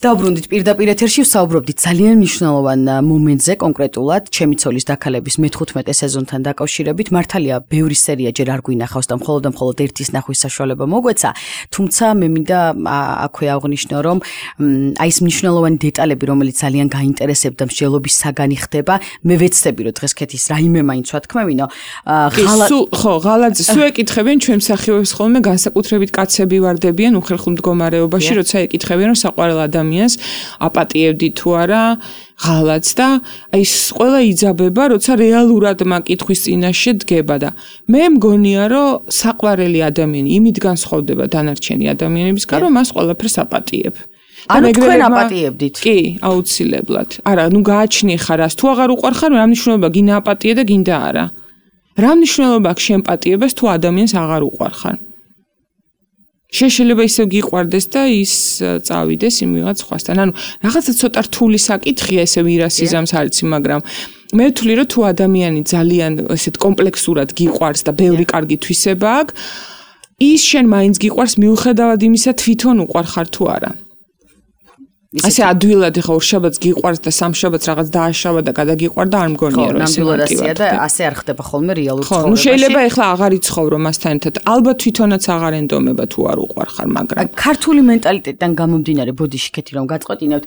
დავბრუნდით პირდაპირ ეთერში ვსაუბრობდით ძალიან მნიშვნელოვან მომენტზე კონკრეტულად ჩემი ცოლის დაქალების მე-15 სეზონთან დაკავშირებით. მართალია ბევრი სერია ჯერ არ გვინახავს და მხოლოდ ერთის ნახვის საშუალება მოგვეცა, თუმცა მე მინდა აქვე აღვნიშნო, რომ აი ეს მნიშვნელოვანი დეტალები, რომელიც ძალიან გაინტერესებდა მსჯელობის საგანი ხდება, მე ვეცდები რომ დღეს კეთის რაიმე მაინც ვათქმევინო. ღალაძე სულ ეკითხებიან ჩვენ მსახიობებს ხოლმე განსაკუთრებით კაცები ვარდებიან უხერხულ მდგომარეობაში, როცა ეკითხებიან რომ საყვარელ ადამიანს აპატიებდი თუ არა ღალატს და აი ყველა იძაბება, როცა რეალურად მაკითხვის წინაშე დგება და მე მგონია, რომ საყვარელი ადამიანი იმით განსხვავდება დანარჩენი ადამიანებისგან, რომ მას ყველაფერს აპატიებ. ანუ თქვენ აპატიებდით? კი, აუცილებლად. არა, ნუ გააჩნი ხარ, თუ აღარ უყვარხარ, რა მნიშვნელობა გინდა აპატიე და გინდა არა. რა მნიშვნელობა აქვს შენ პატიებას თუ ადამიანს აღარ უყვარხარ? შეიძლება ისევ გიყვარდეს და ის წავიდეს იმ ვიღაც სხვასთან. ანუ რაღაცა ცოტა რთული საკითხია, ესე ვირასიზამს არ იცი, მაგრამ მე ვთვლი, რომ თუ ადამიანი ძალიან ესეთ კომპლექსურად გიყვარს და ბევრი კარგი თვისება აქვს, ის შენ მაინც გიყვარს მიუხედავად იმისა, თვითონ უყვარხარ თუ არა. ასე ადვილად ხა ორშაბათს გიყვარს და სამშაბათს რაღაც დააშავა და გადაგიყვარ და არ მგონია რომ ეს ნამდვილადია და ასე არ ხდება ხოლმე რეალურ ცხოვრებაში. ხო, შეიძლება ეხლა აღარ იცხოვრო მასთან ერთად. ალბათ თვითონაც აღარ ენდომება თუ არ უყვარხარ, მაგრამ ქართული მენტალიტეტიდან გამომდინარე, ბოდიში კეთი რომ გაწყვეტინებთ,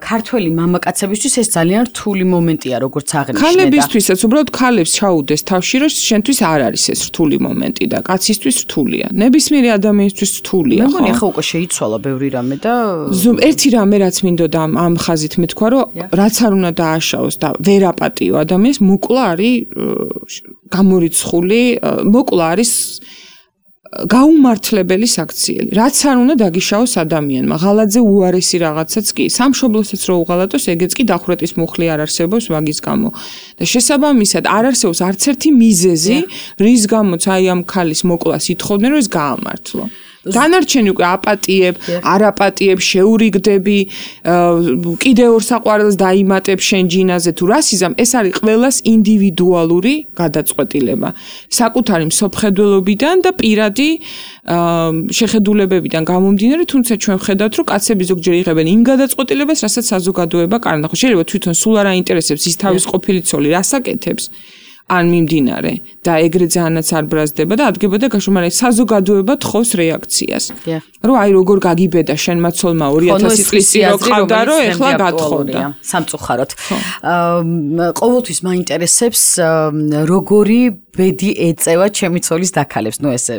ქართველი მამაკაცებისთვის ეს ძალიან რთული მომენტია, როგორც აღნიშნე და ქალებისთვისაც უბრალოდ ქალებს ჩაუდეს თავში, რომ შენთვის არ არის ეს რთული მომენტი და კაცისთვის რთულია. ნებისმიერი ადამიანისთვის რთულია, ხო? მე მგონი ახლა უკვე შეიცვალა ბევრი რამე და ერთი რამე რაც მინდოდა ამ ხაზით მეთქვა, რომ რაც არ უნდა დააშაოს და ვერ აპატიო ადამიანს, მოკლა არის გამორიცხული, მოკლა არის გაუმართლებელი საქციელი. რაც არ უნდა დაგიშაოს ადამიანმა. ღალაძე უარესი რაღაცაც კი. სამშობლოსაც რო უღალატოს, ეგეც კი დახვრეტის მუხლი არ არსებობს მაგის გამო. და შესაბამისად არ არსებობს არც ერთი მიზეზი, რის გამოც აი ამ ქალის მოკლას ითხოვდნენ, რომ ეს გაამართლო. დანარჩენი უკვე აპატიებ, არ აპატიებ, შეურიგდები, კიდევ ორ საყვარელს დაიმატებ შენ ჯინაზე თუ რასიზამ, ეს არის ყველას ინდივიდუალური გადაწყვეტილება. საკუთარი მსოფლმხედველობიდან და პირადი შეხედულებებიდან გამომდინარე, თუმცა ჩვენ ვხედავთ, რომ კაცები ზოგჯერ იღებენ იმ გადაწყვეტილებას, რასაც საზოგადოება კარნახო. შეიძლება თვითონ სულ არ აინტერესებს ის თავის ყოფილი ცოლი რას აკეთებს. ან მიმდინარე და ეგრე ძალიანაც არ ბრაზდება და ადგება და გაშო, მაგრამ საზოგადოება თხოვს რეაქციას. რომ აი როგორ გაგიბედა შენმა ცოლმა 2000 წლის წინ რო ყავდა, რომ ეხლა გათხოვდა. სამწუხაროდ. ყოველთვის მაინტერესებს როგორი ბედი ეწევა ჩემი ცოლის დაქალებს. ნუ ესე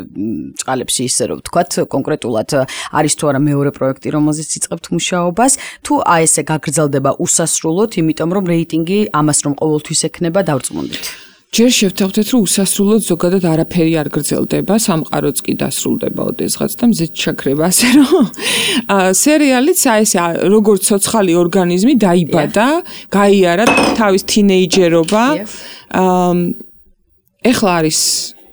წყალებში ისე რომ ვთქვათ, კონკრეტულად არის თუ არა მეორე პროექტი, რომელზეც იწყებთ მუშაობას, თუ აი ესე გაგრძელდება უსასრულოდ, იმიტომ რომ რეიტინგი ამას რომ ყოველთვის ექნება დავწმუნდით. ჯერ შევთანხმდეთ, რომ უსასრულოდ ზოგადად არაფერი არ გრძელდება, სამყაროც კი დასრულდება ოდესღაც და მზეც ჩაქრება, ასე რომ სერიალიც აი ესე როგორც ცოცხალი ორგანიზმი დაიბადა, გაიარა თავის თინეიჯერობა. ეხლა არის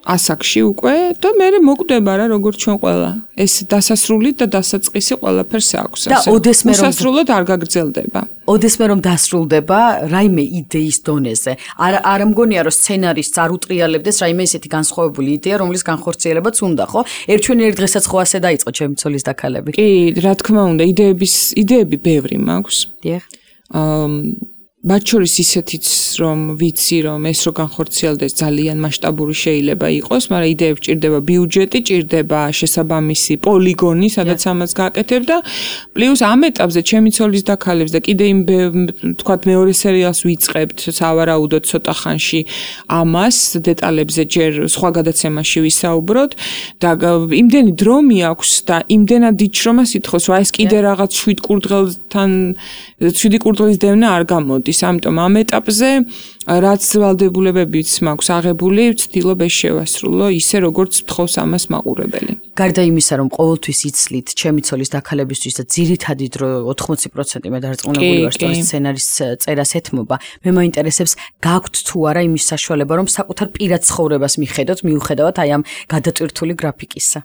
ასაკში უკვე და მე მოკვდება რა როგორც ჩვენ ყველა. ეს დასასრული და დასაწყისი ყველაფერს აქვს. და ოდესმე რომ უსასრულოდ არ გაგრძელდება. ოდესმე რომ დასრულდება რაიმე იდეის დონეზე. არ მგონია რომ სცენარისტს არ უტრიალებდეს რაიმე ისეთი განსხვავებული იდეა, რომლის განხორციელებაც უნდა, ხო? ერთ დღესაც ხო ასე დაიწყო ჩემი ცოლის დაქალები. კი, რა თქმა უნდა, იდეები ბევრი მაქვს. დიახ. მათ შორის ისეთიც რომ ვიცი რომ ეს რო განხორციელდეს ძალიან მასშტაბური შეიძლება იყოს, მაგრამ იდეებს ჭირდება ბიუჯეტი, ჭირდება შესაბამისი პოლიგონი, სადაც ამას გააკეთებ და პლუს ამ ეტაპზე ჩემი ცოლის დაქალებს და კიდე იმ თქვათ მეორე სერიალს ვიწყებთ სავარაუდოდ ცოტა ხანში ამას დეტალებზე ჯერ სხვა გადაცემაში ვისაუბროთ და იმდენი დრო მიაქვს და იმდენად იჩრომას ითხოვს, რა ეს კიდე რაღაც 7 კურდღელის დევნა არ გამოდის. ამიტომ ამ ეტაპზე რაც ვალდებულებებიც მაქვს აღებული, ვცდილობ ეს შევასრულო ისე როგორც თხოვს ამას მაყურებელი. გარდა იმისა, რომ ყოველთვის იცლით ჩემი ცოლის დაქალებისთვის და ძირითადი დრო 80% მე დარწმუნებული ვარ, რომ სცენარის წერას ეთმობა, მე მაინტერესებს გაქვთ თუ არა იმის საშუალება, რომ საკუთარ პირად ცხოვრებას მიხედოთ, მიუხედავად აი ამ გადატვირთული გრაფიკისა.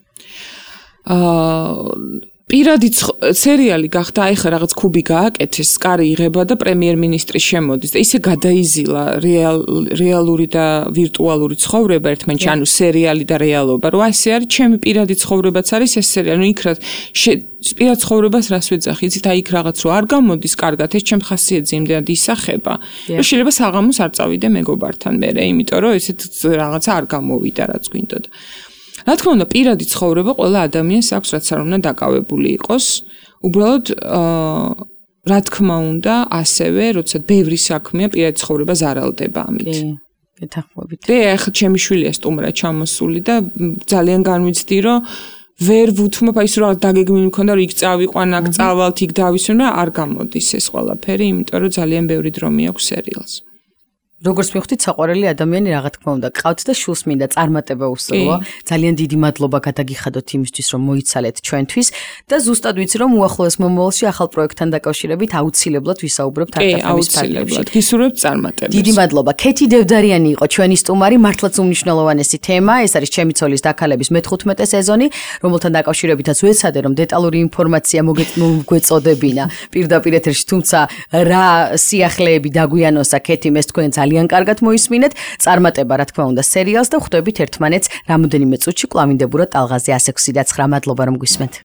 პირადი სერიალი გახდა, აი ხა რაღაც ქუბი გააკეთეს, სკარი იღება და პრემიერ-მინისტრი შემოდის და ისე გადაიზილა რეალური და ვირტუალური ცხოვრება ერთმანეთში, ანუ სერიალი და რეალობა. რა ესე არის, ჩემი პირადი ცხოვრებაც არის ეს სერიალი. ნუ იქ რა პირად ცხოვრებას რას ვეძახი, იცით, აი იქ რაღაც რო არ გამოდის კარგად, ეს ჩემ ხასიათზე იმდენად ისახება, რომ შეიძლება საღამოს არ წავიდე მეგობართან მერე, იმიტომ რომ ესეთ რაღაცა არ გამოვიდა, რაც გვინდოდა. რა თქმა უნდა, პირადი ცხოვრება ყველა ადამიანს აქვს, რაც არ უნდა დაკავებული იყოს. უბრალოდ რა თქმა უნდა, ასევე, როცა ბევრი საქმეა, პირადი ცხოვრება ზარალდება ამით. გეთანხმებით. ახლა ჩემი შვილია სტუმრა ჩამოსული და ძალიან განვიცდი, რომ ვერ ვუთმობ, აი ეს რა დაგეგმილი მქონდა, რომ იქ წავიყვან, აქ წავალთ, იქ დავისვენ, მაგრამ არ გამოდის ეს ყველაფერი, იმიტომ რომ ძალიან ბევრი დრო მიაქვს სერიალს. როგორც მივხვდით, საყვარელი ადამიანი რა თქმა უნდა გყავთ და შულს მინდა წარმატება უსურვო. ძალიან დიდი მადლობა გადაგიხადოთ იმისთვის, რომ მოიცალეთ ჩვენთვის და ზუსტად ვიცი, რომ უახლოეს მომავალში ახალ პროექტთან დაკავშირებით აუცილებლად ვისაუბრებთ არტაფემის ფარგლებში. გისურვებთ წარმატებას. დიდი მადლობა. ქეთი დევდარიანი იყო ჩვენი სტუმარი, მართლაც უმნიშვნელოვანესი თემა. ეს არის ჩემი ცოლის დაქალების მე-15 სეზონი, რომელთან დაკავშირებითაც ვეცადე, რომ დეტალური ინფორმაცია მოგეწოდებინა პირდაპირ ეთერში, თუმცა რა სიახლეები დაგვიანოსა ქეთიმ, ეს თქვენ ძალიან კარგად მოისმინეთ. წარმატება რა თქმა უნდა სერიალს და ხვდებით ერთმანეთს რამოდენიმე წუთში კლავინდებურად ტალღაზე 106.9. მადლობა რომ გვისმენთ.